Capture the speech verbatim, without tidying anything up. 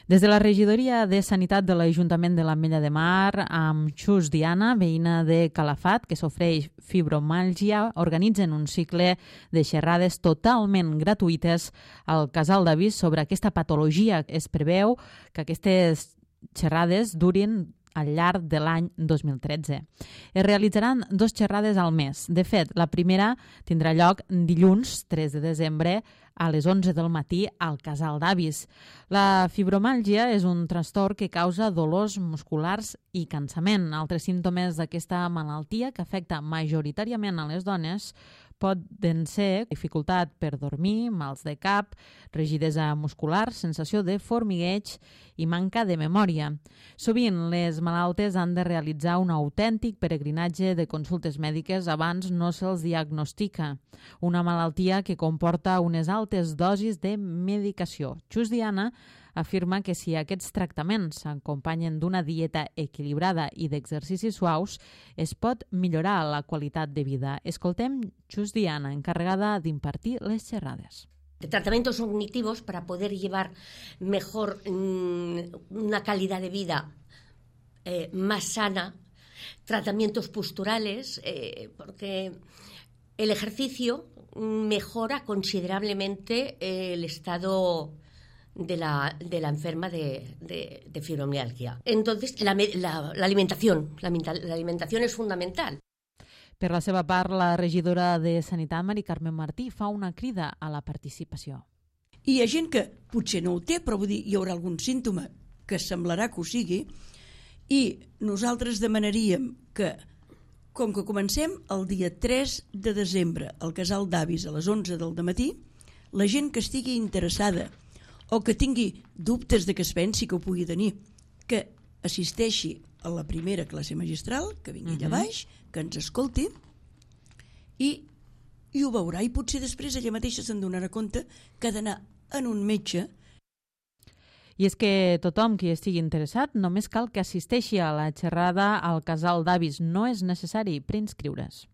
Des de la regidoria de Sanitat de l'Ajuntament de l'Ametlla de Mar, amb Xus Diana, veïna de Calafat, que s'ofereix fibromàlgia, organitzen un cicle de xerrades totalment gratuïtes al Casal d'Avis sobre aquesta patologia. Es preveu que aquestes xerrades durin al llarg de l'any dos mil tretze. Es realitzaran dos xerrades al mes. De fet, la primera tindrà lloc dilluns tres de desembre a les onze del matí al Casal d'Avis. La fibromàlgia és un trastorn que causa dolors musculars i cansament. Altres símptomes d'aquesta malaltia, que afecta majoritàriament a les dones, poden ser dificultat per dormir, mals de cap, rigidesa muscular, sensació de formigueig i manca de memòria. Sovint, les malaltes han de realitzar un autèntic peregrinatge de consultes mèdiques abans no se'ls diagnostica. Una malaltia que comporta unes altes dosis de medicació. Xus Diana afirma que si aquests tractaments s'acompanyen d'una dieta equilibrada i d'exercicis suaus, es pot millorar la qualitat de vida. Escoltem Xus Diana, encarregada d'impartir les xerrades. De tratamientos cognitivos para poder llevar mejor mmm, una calidad de vida eh, más sana, tratamientos posturales, eh, porque el ejercicio mejora considerablemente eh, el estado de la, de la enferma de, de, de fibromialgia. Entonces, la, la, la alimentación, la, la alimentación es fundamental. Per la seva part, la regidora de Sanitat, Mari Carmen Martí, fa una crida a la participació. Hi ha gent que potser no ho té, però vull dir, hi haurà algun símptoma que semblarà que ho sigui, i nosaltres demanaríem que, com que comencem el dia tres de desembre al Casal d'Avis a les onze del matí, la gent que estigui interessada o que tingui dubtes de que es pensi que ho pugui tenir, que assisteixi a la primera classe magistral, que vingui allà baix, que ens escolti, i, i ho veurà, i potser després ella mateixa se'n donarà compte que ha d'anar en un metge. I és que tothom qui estigui interessat només cal que assisteixi a la xerrada al Casal d'Avis. No és necessari preinscriure's.